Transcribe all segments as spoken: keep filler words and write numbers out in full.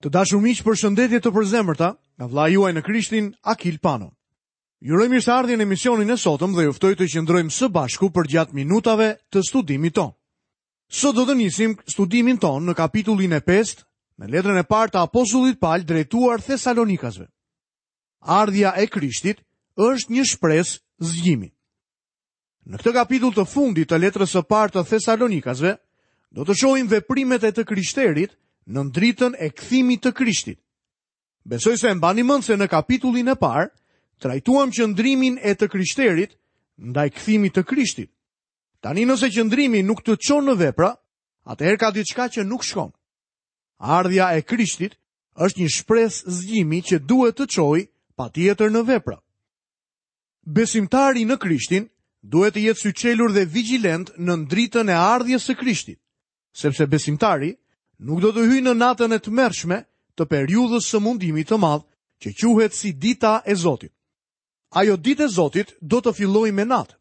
Të dashur miq, përshëndetje të përzemërta nga vëllai juaj në Krishtin, Akil Pano. Ju uroj mirëseardhjen në emisionin e sotëm dhe ju ftoj të qëndrojmë së bashku përgjatë minutave të studimit tonë. Sot do të nisim studimin tonë në kapitullin e pestë, në letrën e parë të apostullit Pal drejtuar Thesalonikasve. Ardhja e Krishtit është një shpresë zgjimi. Në këtë kapitull të fundit të letrës së parë të Thesalonikasve, do të shohim veprimet e të krishterit në dritën e kthimit të Krishtit. Besoj se e mbani mend se në kapitullin e parë trajtuam qëndrimin e të krishterit ndaj kthimit të Krishtit. Tani nëse qëndrimi nuk të çon në vepra, atëherë ka diçka që nuk shkon. Ardhja e Krishtit është një shpresë zgjimi që duhet të çojë patjetër në vepra. Besimtari në Krishtin duhet të jetë syçelur dhe vigjilent në dritën e ardhjes së Krishtit, sepse besimtari nuk do të hyjë në natën e tmerrshme të periudhës së mundimit të madh, që quhet si dita e Zotit. Ajo ditë e Zotit do të fillojë me natë,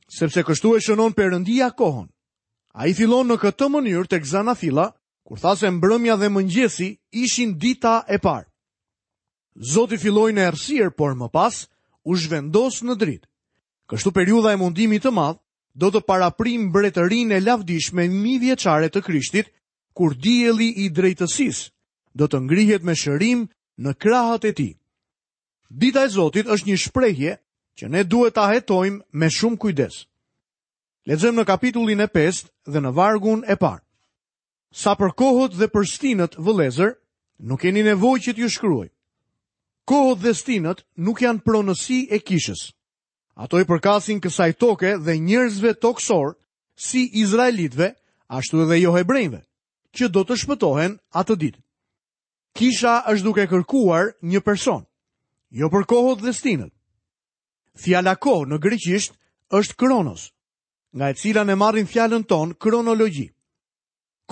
sepse kështu e shënon Perëndia kohën. Ai fillon në këtë mënyrë tek Zanafilla, kur tha se mbrëmja dhe mëngjesi ishin dita e parë. Zoti filloi në errësirë, por më pas u zhvendos në dritë. Kështu periudha e mundimit të madh do të paraprijë mbretërinë e lavdishme mijëvjeçare të Krishtit, kur dielli i drejtësisë do të ngrihet me shërim në krahët e tij. Dita e Zotit është një shprehje që ne duhet ta hetojmë me shumë kujdes. Lexojmë në kapitullin e pestë dhe në vargun e parë. Sa për kohët dhe për stinët, vëllezër, nuk keni nevojë që t'ju shkruaj. Kohët dhe stinët nuk janë pronësi e kishës. Ato i përkasin kësaj toke dhe njerëzve toksor, si izraelitëve, ashtu edhe jo hebrejve, që do të shpëtohen atë ditë. Kisha është duke kërkuar një person, jo për kohët dhe stinët. Fjala kohë në greqisht është kronos, nga e cila ne marrim fjalën tonë kronologji.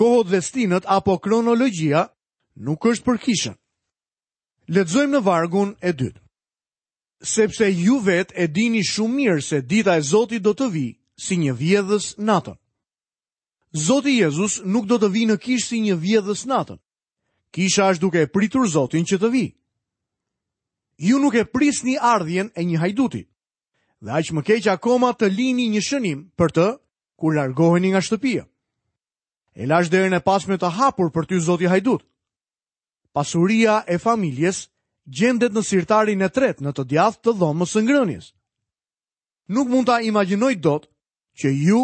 Kohët dhe stinët apo kronologjia nuk është për kishën. Lexojmë në vargun e dytë. Sepse ju vetë e dini shumë mirë se dita e Zotit do të vijë si një vjedhës natën. Zoti Jezus nuk do të vijë në kishë si një vjedhës natën. Kisha është duke e pritur Zotin që të vijë. Ju nuk e prisni ardhjen e një hajduti. Dhe aq më keq akoma të lini një shënim për të kur largoheni nga shtëpia. E lash derën e pasme të hapur për ty, Zoti hajdut. Pasuria e familjes gjendet në sirtarin e tretë në të djathtë të dhomës së ngrënies. Nuk mund ta imagjinoj dot që ju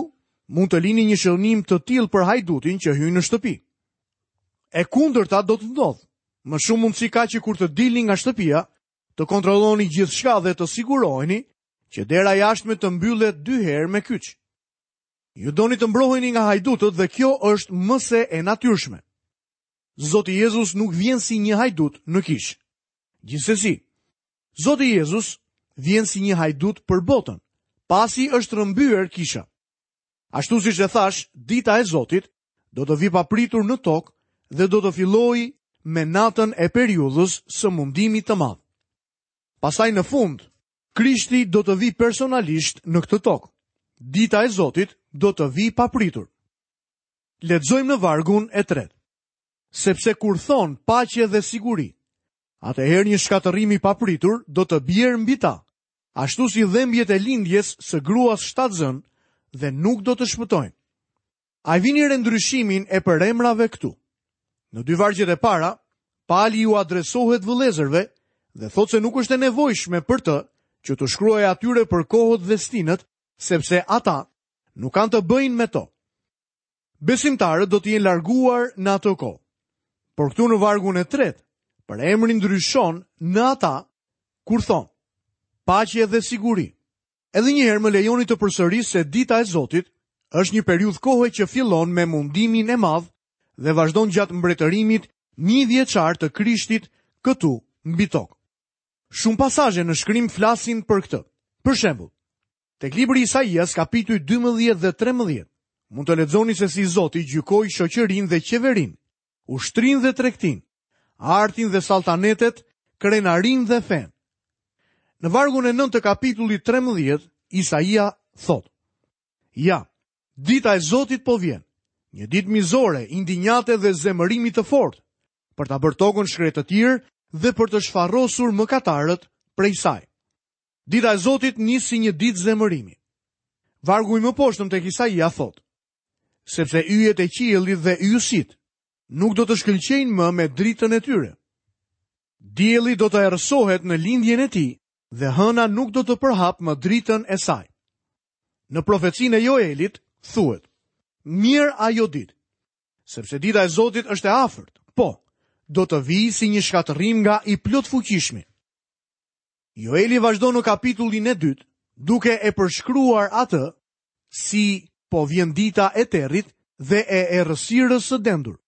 mund të lini një shënim të tillë për hajdutin që hyn në shtëpi. E kundërta do të ndodhë. Më shumë mundësi ka që kur të dilni nga shtëpia, të kontrolloni gjithçka dhe të siguroheni që dera jashtme të mbyllet dy herë me kyç. Ju doni të mbroheni nga hajdutët dhe kjo është më se e natyrshme. Zoti Jezus nuk vjen si një hajdut në kishë. Gjithsesi, Zoti Jezus vjen si një hajdut për botën, pasi është rrëmbyer kisha. Ashtu siç e thash, dita e Zotit do të vi papritur në tokë dhe do të fillojë me natën e periudhës së mundimit të madh. Pastaj në fund, Krishti do të vi personalisht në këtë tokë. Dita e Zotit do të vi papritur. Lexojmë në vargun e tretë. Sepse kur thon paqe dhe siguri, atëherë një shkatërrim i papritur do të bjerë mbi ta, ashtu si dhembjet e lindjes së gruas shtatzën dhe nuk do të shpëtojnë. A vini re ndryshimin e përemrave këtu? Në dy vargjet e para, Pali ju adresohet vëllezërve dhe thotë se nuk është e nevojshme për të që të shkruajë atyre për kohët dhe stinët, sepse ata nuk kanë të bëjnë me to. Besimtarët do të jenë larguar në atë kohë. Por këtu në vargun e tretë, për emrin ndryshon në ata kur thon paqe dhe siguri. Edhe një herë më lejoni të përsëris se dita e Zotit është një periudhë kohe që fillon me mundimin e madh dhe vazhdon gjatë mbretërimit mijëvjeçar të Krishtit këtu mbi tokë. Shumë pasazhe në shkrim flasin për këtë. Për shembull, tek libri i Isaias kapituj dymbëdhjetë dhe trembëdhjetë, mund të lexoni se si Zoti gjykoi shoqërinë dhe qeverinë, ushtrinë dhe tregtinë, artin dhe saltanetet, krenarinë dhe fenë. Në vargun e nëntë të kapitullit trembëdhjetë, Isaia thotë: Ja, dita e Zotit po vjen, një ditë mizore, indinjate dhe zemërimi të fortë, për ta bërë tokën shkretëtirë dhe për të shfarosur mëkatarët prej saj. Dita e Zotit nis si një ditë zemërimi. Vargu i mëposhtëm tek Isaia thotë: Sepse yjet e qiellit dhe yjësitë nuk do të shkëlqejnë më me dritën e tyre. Dielli do të errësohet në lindjen e tij dhe hëna nuk do të përhap më dritën e saj. Në profecinë e Joelit thuhet: Mirë ajo ditë, sepse dita e Zotit është e afërt, po, do të vijë si një shkatërrim nga i plotfuqishmi. Joeli vazhdon në kapitullin e dytë, duke e përshkruar atë si po vjen dita e territ dhe e errësirës së dendur.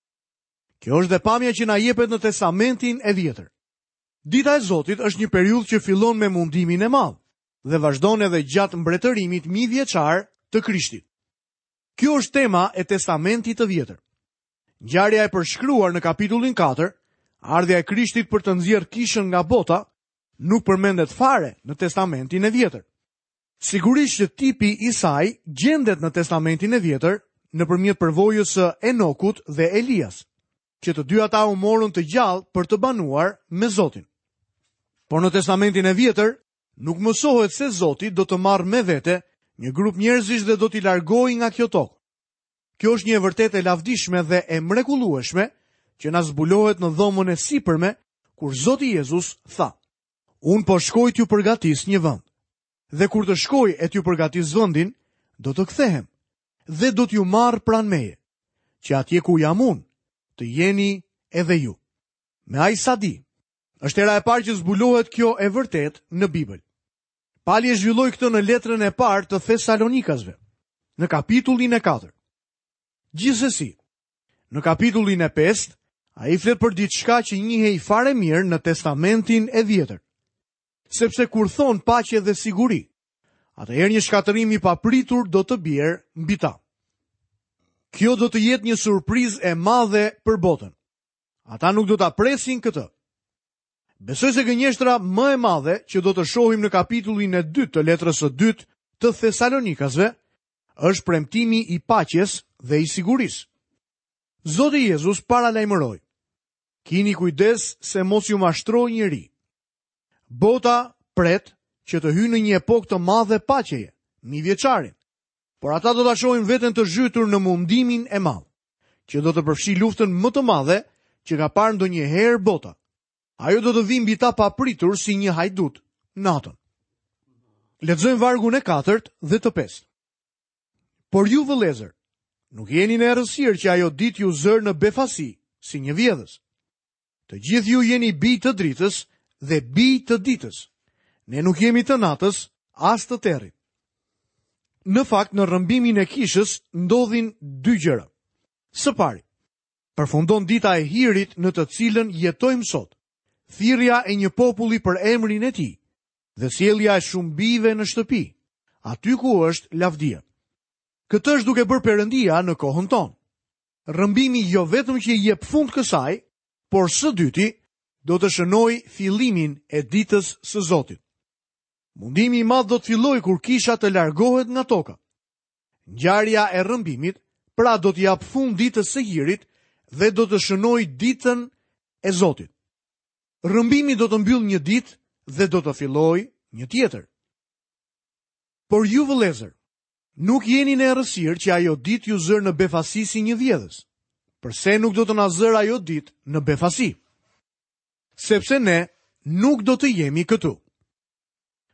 Kjo është dhe pamja që na jepet në Testamentin e Vjetër. Dita e Zotit është një periudhë që fillon me mundimin e madh dhe vazhdon edhe gjatë mbretërimit mijëvjeçar të Krishtit. Kjo është tema e Testamentit të Vjetër. Ngjarja e përshkruar në kapitullin katër, ardhja e Krishtit për të nxjerrë kishën nga bota, nuk përmendet fare në Testamentin e Vjetër. Sigurisht që tipi i saj gjendet në Testamentin e Vjetër nëpërmjet përvojës së Enokut dhe Elias, që të dy ata u morën të gjallë për të banuar me Zotin. Por në Testamentin e Vjetër nuk mësohet se Zoti do të marrë me vete një grup njerëzish dhe do t'i largojë nga kjo tokë. Kjo është një e vërtetë e lavdishme dhe e mrekullueshme që na zbulohet në dhomën e sipërme kur Zoti Jezus tha: Unë po shkoj t'ju përgatis një vend. Dhe kur të shkoj e t'ju përgatis vendin, do të kthehem dhe do t'ju marr pranë meje, që atje ku jam unë, të jeni edhe ju. Me aq sa di, është hera e parë që zbulohet kjo e vërtetë në Bibël. Pali e zhvilloi këtë në letrën e parë të Thesalonikasve, në kapitullin e katërt. Gjithsesi, në kapitullin e pestë, ai flet për diçka që njihej fare mirë në Testamentin e Vjetër. Sepse kur thon paqe dhe siguri, atëherë një shkatërrim i papritur do të bjerë mbi ta. Kjo do të jetë një surprizë e madhe për botën. Ata nuk do ta presin këtë. Besoj se gënjeshtra më e madhe që do të shohim në kapitullin e dytë të letrës së dytë të Thesalonikasve është premtimi i paqes dhe i sigurisë. Zoti Jezus paralajmëroi: Kini kujdes se mos ju mashtroj njeri. Bota pret që të hyjë në një epokë të madhe paqeje, mijëvjeçarin. Por ata do ta shohin veten të zhytur në mundimin e madh, që do të përfshijë luftën më të madhe që ka parë ndonjëherë bota. Ajo do të vijë mbi ta papritur si një hajdut natën. Lexojmë vargun e katërt dhe të pestë. Por ju vëllezër, nuk jeni në errësirë që ajo ditë ju zër në befasi, si një vjedhës. Të gjithë ju jeni bij të dritës dhe bij të ditës. Ne nuk jemi të natës, as të territ. Në fakt, në rrëmbimin e kishës ndodhin dy gjëra. Së pari, përfundon dita e hirit në të cilën jetojmë sot, thirrja e një populli për emrin e tij dhe sjellja e shumë bijve në shtëpi, aty ku është lavdia. Këtë është duke bërë Perëndia në kohën tonë. Rrëmbimi jo vetëm që i jep fund kësaj, por së dyti do të shënojë fillimin e ditës së Zotit. Mundimi i madh do të fillojë kur kisha të largohet nga toka. Ngjarja e rrëmbimit, pra do t'i jap fund ditës së hirit dhe do të shënojë ditën e Zotit. Rrëmbimi do të mbyllë një ditë dhe do të fillojë një tjetër. Por ju vëllezër, nuk jeni në errësirë që ajo ditë ju zër në befasi si një vjedhës. Përse nuk do të na zër ajo ditë në befasi? Sepse ne nuk do të jemi këtu.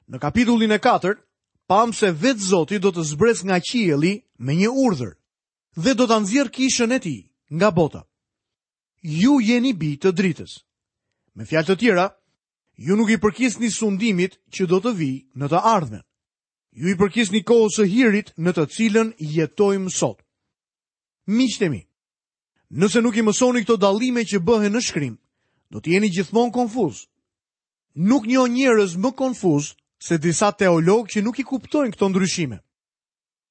Në kapitullin e katërt, pam se vetë Zoti do të zbresë nga qielli me një urdhër dhe do ta nxjerrë kishën e tij nga bota. Ju jeni bij të dritës. Me fjalë të tjera, ju nuk i përkisni sundimit që do të vijë në të ardhmen. Ju i përkisni kohës së hirit në të cilën jetojmë sot. Miqtë e mi, nëse nuk i mësoni këto dallime që bëhen në shkrim, do të jeni gjithmonë konfuz. Nuk njoh njerëz më konfuz se disa teologë që nuk i kuptojnë këto ndryshime.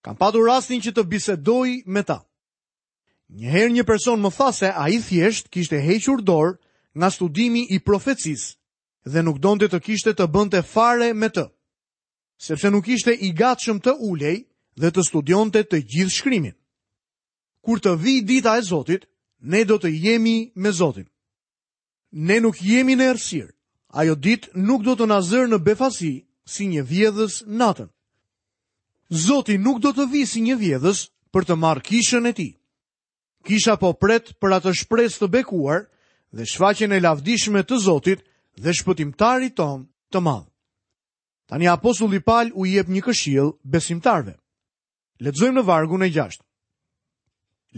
Kam patur rastin që të bisedoj me ta. Një herë një person më tha se ai thjesht kishte hequr dorë nga studimi i profecisë dhe nuk donte të kishte të bënte fare me të, sepse nuk ishte i gatshëm të ulej dhe të studionte të gjithë shkrimin. Kur të vijë dita e Zotit, ne do të jemi me Zotin. Ne nuk jemi në errësirë. Ajo ditë nuk do të na zërë në befasi si një vjedhës natën. Zoti nuk do të vijë si një vjedhës për të marrë kishën e tij. Kisha po pret për atë shpresë të bekuar dhe shfaqjen e lavdishme të Zotit dhe shpëtimtarit ton të madh. Tani apostulli Pal u jep një këshill besimtarëve. Lexojmë në vargun e gjashtë.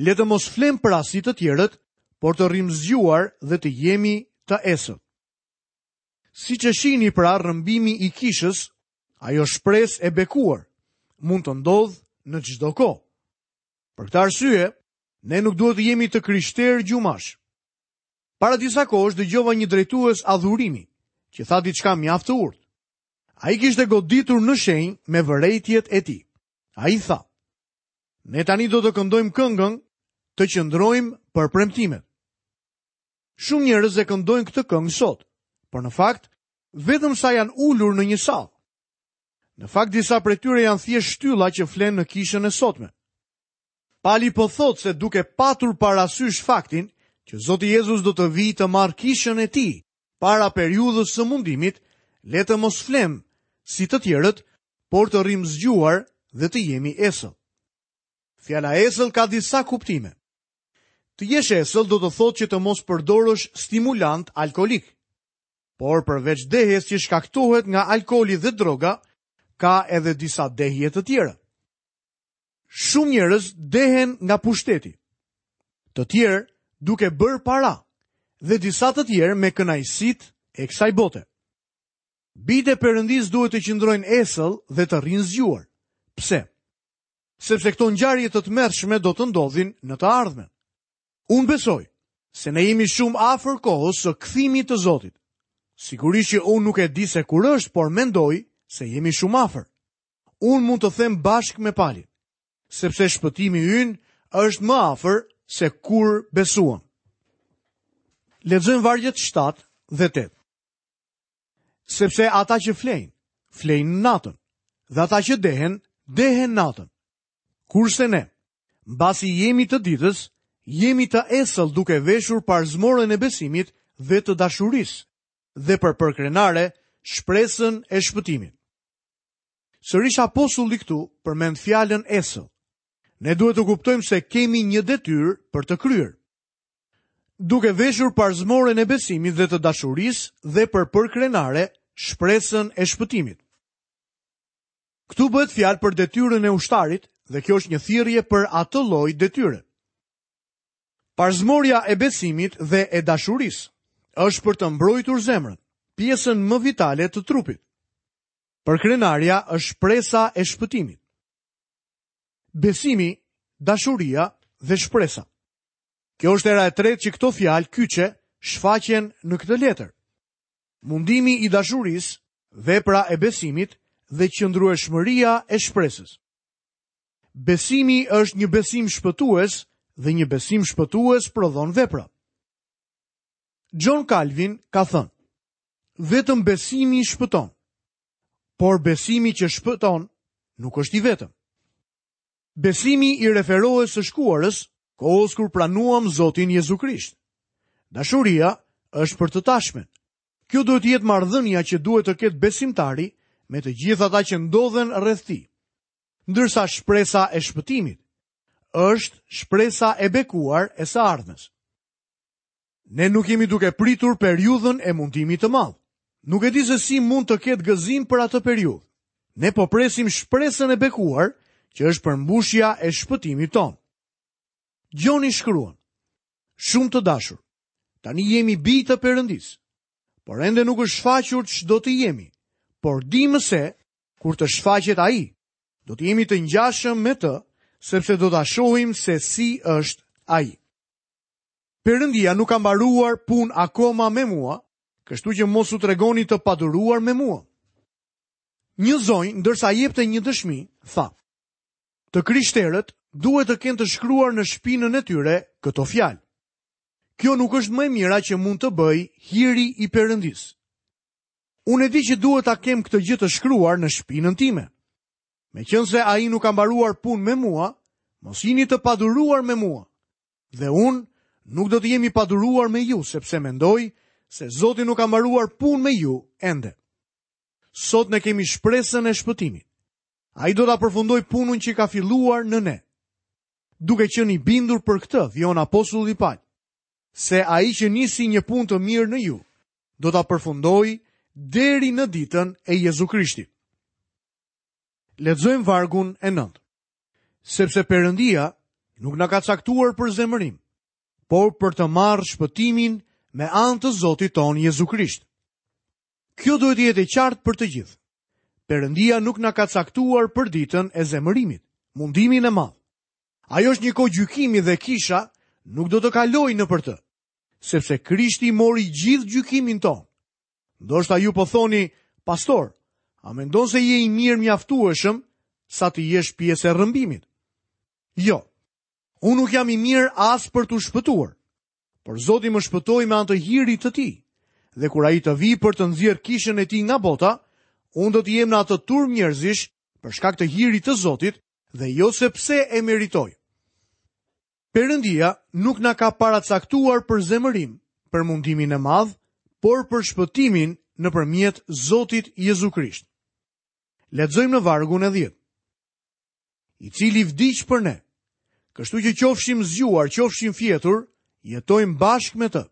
Le të mos flem pra si të tjerët, por të rrim zgjuar dhe të jemi të esëll. Siç e shihni pra rrëmbimi i kishës, ajo shpresë e bekuar, mund të ndodhë në çdo kohë. Për këtë arsye, ne nuk duhet të jemi të krishterë gjumash. Para disa kohësh dëgjova një drejtues adhurimi, që tha diçka mjaft të urtë. Ai kishte goditur në shenjë me vërejtjet e tij. Ai tha: "Ne tani do të këndojmë këngën, të qëndrojmë për premtimet." Shumë njerëz e këndojnë këtë këngë sot, por në fakt vetëm sa janë ulur në një sallë. Në fakt disa prej tyre janë thjesht shtylla që flen në kishën e sotme. Pali po thotë se duke patur parasysh faktin që Zoti Jezus do të vijë të marrë kishën e tij para periudhës së mundimit, le të mos flem si të tjerët, por të rrim zgjuar dhe të jemi esëll. Fjala esëll ka disa kuptime. Të jesh esëll do të thotë që të mos përdorësh stimulant alkolik. Por përveç dehjes që shkaktohet nga alkooli dhe droga, ka edhe disa dehje të tjera. Shumë njerëz dehen nga pushteti, të tjerë duke bërë para dhe disa të tjerë me kënaqësitë e kësaj bote. Bijtë e Perëndisë duhet të qëndrojnë esëll dhe të rrinë zgjuar. Pse? Sepse këto ngjarje të tmerrshme do të ndodhin në të ardhmen. Unë besoj se ne jemi shumë afër kohës së kthimit të Zotit. Sigurisht që unë nuk e di se kur është, por mendoj se jemi shumë afër. Unë mund të them bashkë me Palin, sepse shpëtimi ynë është më afër se kur besuam. Lexojmë vargjet shtatë dhe tetë. Sepse ata që flejnë, flejnë natën, dhe ata që dehen, dehen natën. Kurse ne, mbasi jemi të ditës, jemi të esëll duke veshur parzmorën e besimit dhe të dashurisë, dhe për përkrenare shpresën e shpëtimit. Sërish apostulli këtu përmend fjalën esëll. Ne duhet të kuptojmë se kemi një detyrë për të kryer. Duke veshur parzmorën e besimit dhe të dashurisë dhe për përkrenare shpresën e shpëtimit. Këtu bëhet fjalë për detyrën e ushtarit dhe kjo është një thirrje për atë lloj detyre. Parzmorja e besimit dhe e dashurisë është për të mbrojtur zemrën, pjesën më vitale të trupit. Përkrenarja është shpresa e shpëtimit. Besimi, dashuria dhe shpresa. Kjo është era e tretë që këto fjalë kyçe shfaqen në këtë letër. Mundimi i dashurisë, vepra e besimit dhe qëndrueshmëria e shpresës. Besimi është një besim shpëtues dhe një besim shpëtues prodhon vepra. John Calvin ka thënë: vetëm besimi shpëton, por besimi që shpëton nuk është i vetëm. Besimi i referohet së shkuarës, kohës kur pranuam Zotin Jezu Krisht. Dashuria është për të tashmen. Kjo duhet të jetë marrëdhënia që duhet të ketë besimtari me të gjithë ata që ndodhen rreth tij. Ndërsa shpresa e shpëtimit është shpresa e bekuar e së ardhmes. Ne nuk jemi duke pritur periudhën e mundimit të madh. Nuk e di se si mund të ketë gëzim për atë periudhë. Ne po presim shpresën e bekuar, që është përmbushja e shpëtimit ton. Gjoni shkruan: shumë të dashur, tani jemi bij të Perëndisë, por ende nuk është shfaqur ç'do të jemi, por dimë se kur të shfaqet ai, do të jemi të ngjashëm me të, sepse do ta shohim se si është ai. Perëndia nuk ka mbaruar punë akoma me mua, kështu që mos u tregoni të paduruar me mua. Një zonjë, ndërsa jepte një dëshmi, tha: të krishterët duhet të kenë të shkruar në shpinën e tyre këto fjalë. Kjo nuk është më e mira që mund të bëj hiri i Perëndisë. Unë e di që duhet ta kem këtë gjë të shkruar në shpinën time. Meqense ai nuk ka mbaruar punë me mua, mos jini të paduruar me mua. Dhe unë nuk do të jem i paduruar me ju, sepse mendoj se Zoti nuk ka mbaruar punë me ju ende. Sot ne kemi shpresën e shpëtimit. Ai do ta përfundojë punën që ka filluar në ne. Duke qenë i bindur për këtë, vijon apostulli Paul, se ai që nisi një punë të mirë në ju, do ta përfundojë deri në ditën e Jezu Krishtit. Lexojmë vargun e nëntë. Sepse Perëndia nuk na ka caktuar për zemërim, por për të marrë shpëtimin me anë të Zotit ton Jezu Krisht. Kjo duhet të jetë e qartë për të gjithë. Perëndia nuk na ka caktuar për ditën e zemërimit, mundimin e madh. Ajo është një kohë gjykimi dhe kisha nuk do të kalojë nëpër të, sepse Krishti mori gjithë gjykimin ton. Ndoshta ju po thoni, pastor, a mendon se je i mirë mjaftueshëm sa të jesh pjesë e rrëmbimit? Jo, unë nuk jam i mirë as për t'u shpëtuar, por Zoti më shpëtoi me anë të hirit të tij. Dhe kur ai të vijë për të nxjerrë kishën e tij nga bota, unë do të jem në atë turmë njerëzish për shkak të hirit të Zotit dhe jo sepse e meritoj. Perëndia nuk na ka paracaktuar për zemërim, për mundimin e madh, por për shpëtimin nëpërmjet Zotit Jezu Krisht. Lexojmë në vargun e dhjetë. I cili vdiq për ne, kështu që qofshim zgjuar, qofshim fjetur, jetojmë bashkë me të.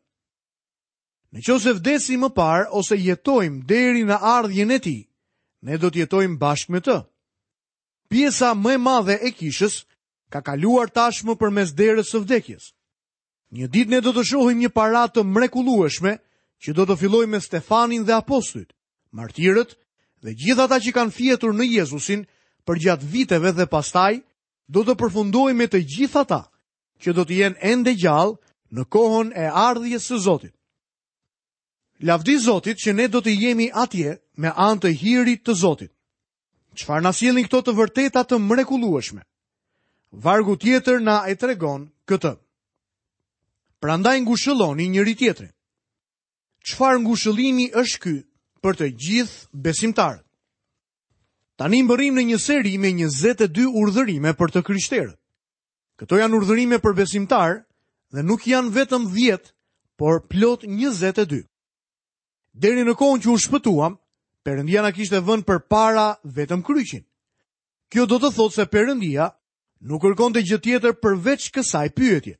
Në qoftë se vdesim më parë ose jetojmë deri në ardhjen e tij, ne do të jetojmë bashkë me të. Pjesa më e madhe e kishës ka kaluar tashmë përmes derës së vdekjes. Një ditë ne do të shohim një paradë të mrekullueshme që do të fillojë me Stefanin dhe apostujt, martirët dhe gjithë ata që kanë fjetur në Jezusin përgjatë viteve dhe pastaj do të përfundojë me të gjithë ata që do të jenë ende gjallë në kohën e ardhjes së Zotit. Lavdi Zotit që ne do të jemi atje me anë të hirit të Zotit. Çfarë na sjellin këto të vërteta të mrekullueshme? Vargu tjetër na e tregon këtë. Prandaj ngushëlloni njëri tjetrin. Çfarë ngushëllimi është ky për të gjithë besimtarët? Tani mbërrim në një seri me njëzet e dy urdhërime për të krishterët. Këto janë urdhërime për besimtarë dhe nuk janë vetëm dhjetë, por plot njëzet e dy. Deri në kohën që u shpëtuam, Perëndia na kishte vënë përpara vetëm kryqin. Kjo do të thotë se Perëndia nuk kërkonte gjë tjetër përveç kësaj pyetje.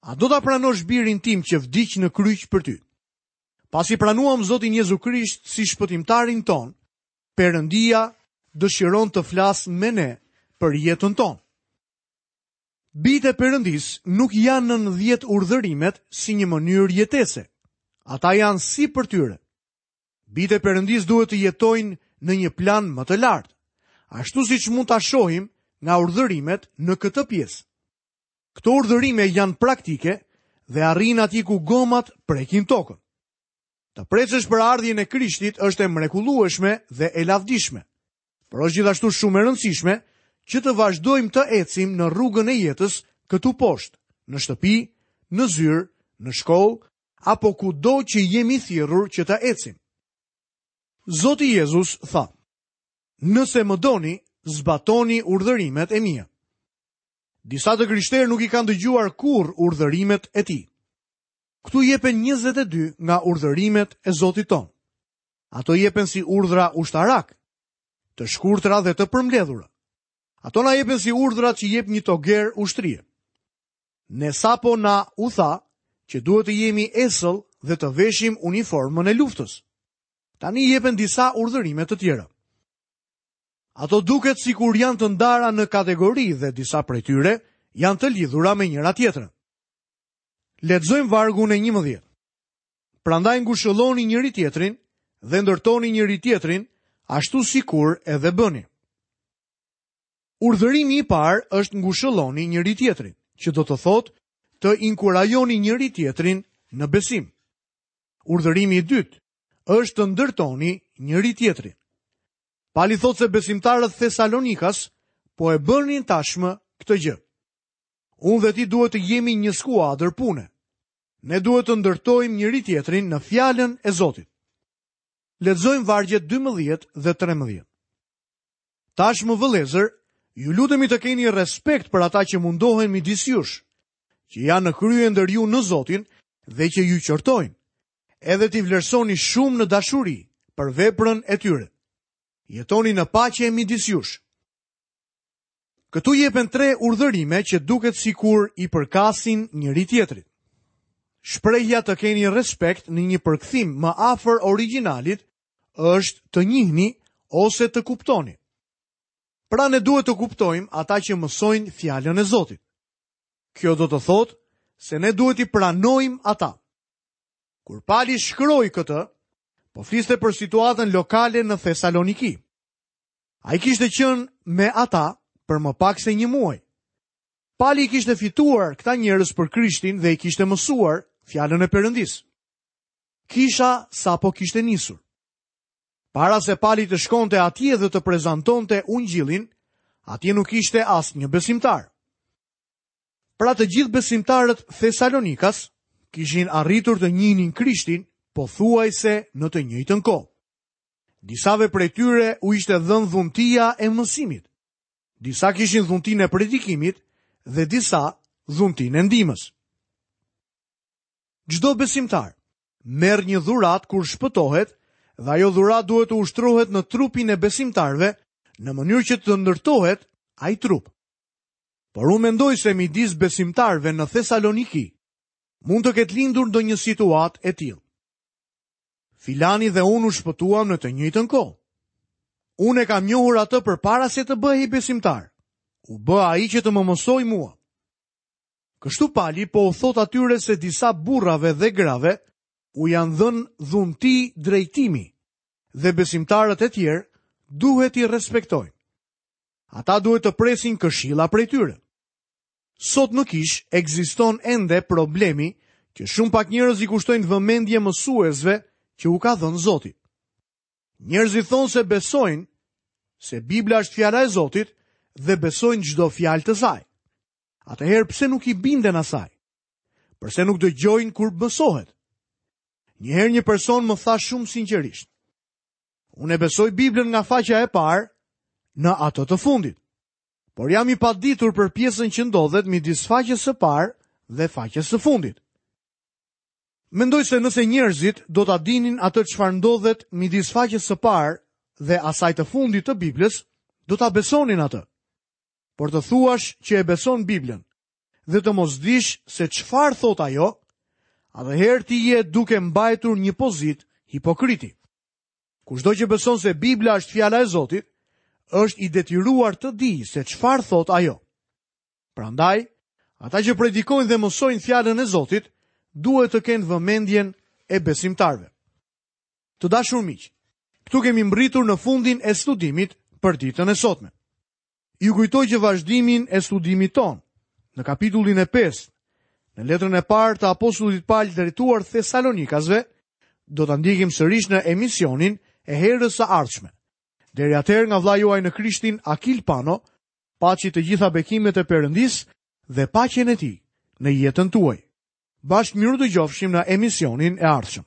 A do ta pranosh birin tim që vdiq në kryq për ty? Pasi pranuam Zotin Jezu Krisht si shpëtimtarin ton, Perëndia dëshiron të flasë me ne për jetën tonë. Bijtë e Perëndisë nuk janë nën dhjetë urdhërimet si një mënyrë jetese. Ata janë si për tyre. Bijtë e Perëndisë duhet të jetojnë në një plan më të lartë, ashtu siç mund ta shohim nga urdhërimet në këtë pjesë. Këto urdhërime janë praktike dhe arrijnë atje ku gomat prekin tokën. Të precësh për ardhjen e Krishtit është e mrekullueshme dhe e lavdishme, por është gjithashtu shumë e rëndësishme që të vazhdojmë të ecim në rrugën e jetës këtu poshtë, në shtëpi, në zyrë, në shkollë, apo kudo që jemi thirrur që të ecim. Zoti Jezus tha: Nëse më doni, zbatoni urdhërimet e mia. Disa të krishterë nuk i kanë dëgjuar kurrë urdhërimet e tij. Këtu jepen njëzet e dy nga urdhërimet e Zotit ton. Ato jepen si urdhra ushtarak, të shkurtra dhe të përmbledhura. Ato na jepen si urdhra që jep një toger ushtrie. Ne sapo na u tha që duhet të jemi esëll dhe të veshim uniformën e luftës. Tani jepen disa urdhërime të tjera. Ato duket sikur janë të ndara në kategori dhe disa prej tyre janë të lidhura me njëra tjetrën. Lexojmë vargun e njëmbëdhjetë. Prandaj ngushëlloni njëri tjetrin dhe ndërtoni njëri tjetrin, ashtu sikur edhe bëni. Urdhërimi i parë është ngushëlloni njëri tjetrin, që do të thotë të inkurajoni njëri tjetrin në besim. Urdhërimi i dytë është të ndërtoni njëri tjetrin. Pali thotë se besimtarët Thesalonikas po e bënin tashmë këtë gjë. Unë dhe ti duhet të jemi një skuadër pune. Ne duhet të ndërtojmë njëri tjetrin në fjalën e Zotit. Lexojmë vargjet dymbëdhjetë dhe trembëdhjetë. Tashmë vëllezër, ju lutemi të keni respekt për ata që mundohen midis jush, që janë në krye ndër ju në Zotin dhe që ju qortojnë, edhe t'i vlerësoni shumë në dashuri për veprën e tyre. Jetoni në paqe midis jush. Këtu jepen tre urdhërime që duket sikur i përkasin njëri tjetrit. Shprehja të keni respekt në një përkthim më afër origjinalit është të njihni ose të kuptoni. Pra ne duhet të kuptojmë ata që mësojnë fjalën e Zotit. Kjo do të thotë se ne duhet i pranojmë ata. Kur Pali shkroi këtë, po fliste për situatën lokale në Thesaloniki. Ai kishte qenë me ata për më pak se një muaj. Pali kishte fituar këta njerëz për Krishtin dhe i kishte mësuar fjalën e Perëndisë. Kisha sapo kishte nisur. Para se Pali të shkonte atje dhe të prezantonte ungjillin, atje nuk ishte asnjë besimtar. Pra të gjithë besimtarët Thesalonikas kishin arritur të njihnin Krishtin pothuajse në të njëjtën kohë. Disave prej tyre u ishte dhënë dhuntia e mësimit. Disa kishin dhuntinë e predikimit dhe disa dhuntinë e ndihmës. Çdo besimtar merr një dhuratë kur shpëtohet dhe ajo dhuratë duhet të ushtrohet në trupin e besimtarëve në mënyrë që të ndërtohet ai trup. Por unë mendoj se midis besimtarëve në Thesaloniki mund të ketë lindur ndonjë situatë e tillë. Filani dhe unë u shpëtuam në të njëjtën kohë. Unë e kam njohur atë përpara se të bëhej besimtar. U bë ai që të më mësoj mua. Kështu Pali po u thot atyre se disa burrave dhe grave u janë dhënë dhunti drejtimi dhe besimtarët e tjerë duhet t'i respektojnë. Ata duhet të presin këshilla prej tyre. Sot në kish ekziston ende problemi që shumë pak njerëz i kushtojnë vëmendje mësuesve që u ka dhënë Zoti. Njerëzit thonë se besojnë se Bibla është fjala e Zotit dhe besojnë çdo fjalë të saj. Atëherë pse nuk i binden asaj? Përse nuk dëgjojnë kur mësohet? Një herë një person më tha shumë sinqerisht: Unë e besoj Biblën nga faqja e parë në atë të fundit, por jam i paditur për pjesën që ndodhet midis faqes së parë dhe faqes së fundit. Mendoj se nëse njerëzit do ta dinin atë çfarë ndodhet midis faqes së parë dhe asaj të fundit të Biblës, do ta besonin atë. Por të thuash që e beson Biblën dhe të mos dish se çfarë thot ajo, atëherë ti je duke mbajtur një pozitë hipokriti. Kushdo që beson se Bibla është fjala e Zotit, është i detyruar të dijë se çfarë thot ajo. Prandaj, ata që predikojnë dhe mësojnë fjalën e Zotit, duhet të kenë vëmendjen e besimtarëve. Të dashur miq, këtu kemi mbërritur në fundin e studimit për ditën e sotme. Ju kujtoj që vazhdimin e studimit ton, në kapitullin e pestë, në letrën e parë të apostullit Paul drejtuar Thesalonikasve, do ta ndjekim sërish në emisionin e herës së ardhshme. Deri atëherë nga vëllai juaj në Krishtin Akil Pano, paçi të gjitha bekimet e Perëndisë dhe paqen e tij në jetën tuaj. Bashkë mirë dëgjofshim në emisionin e ardhshëm.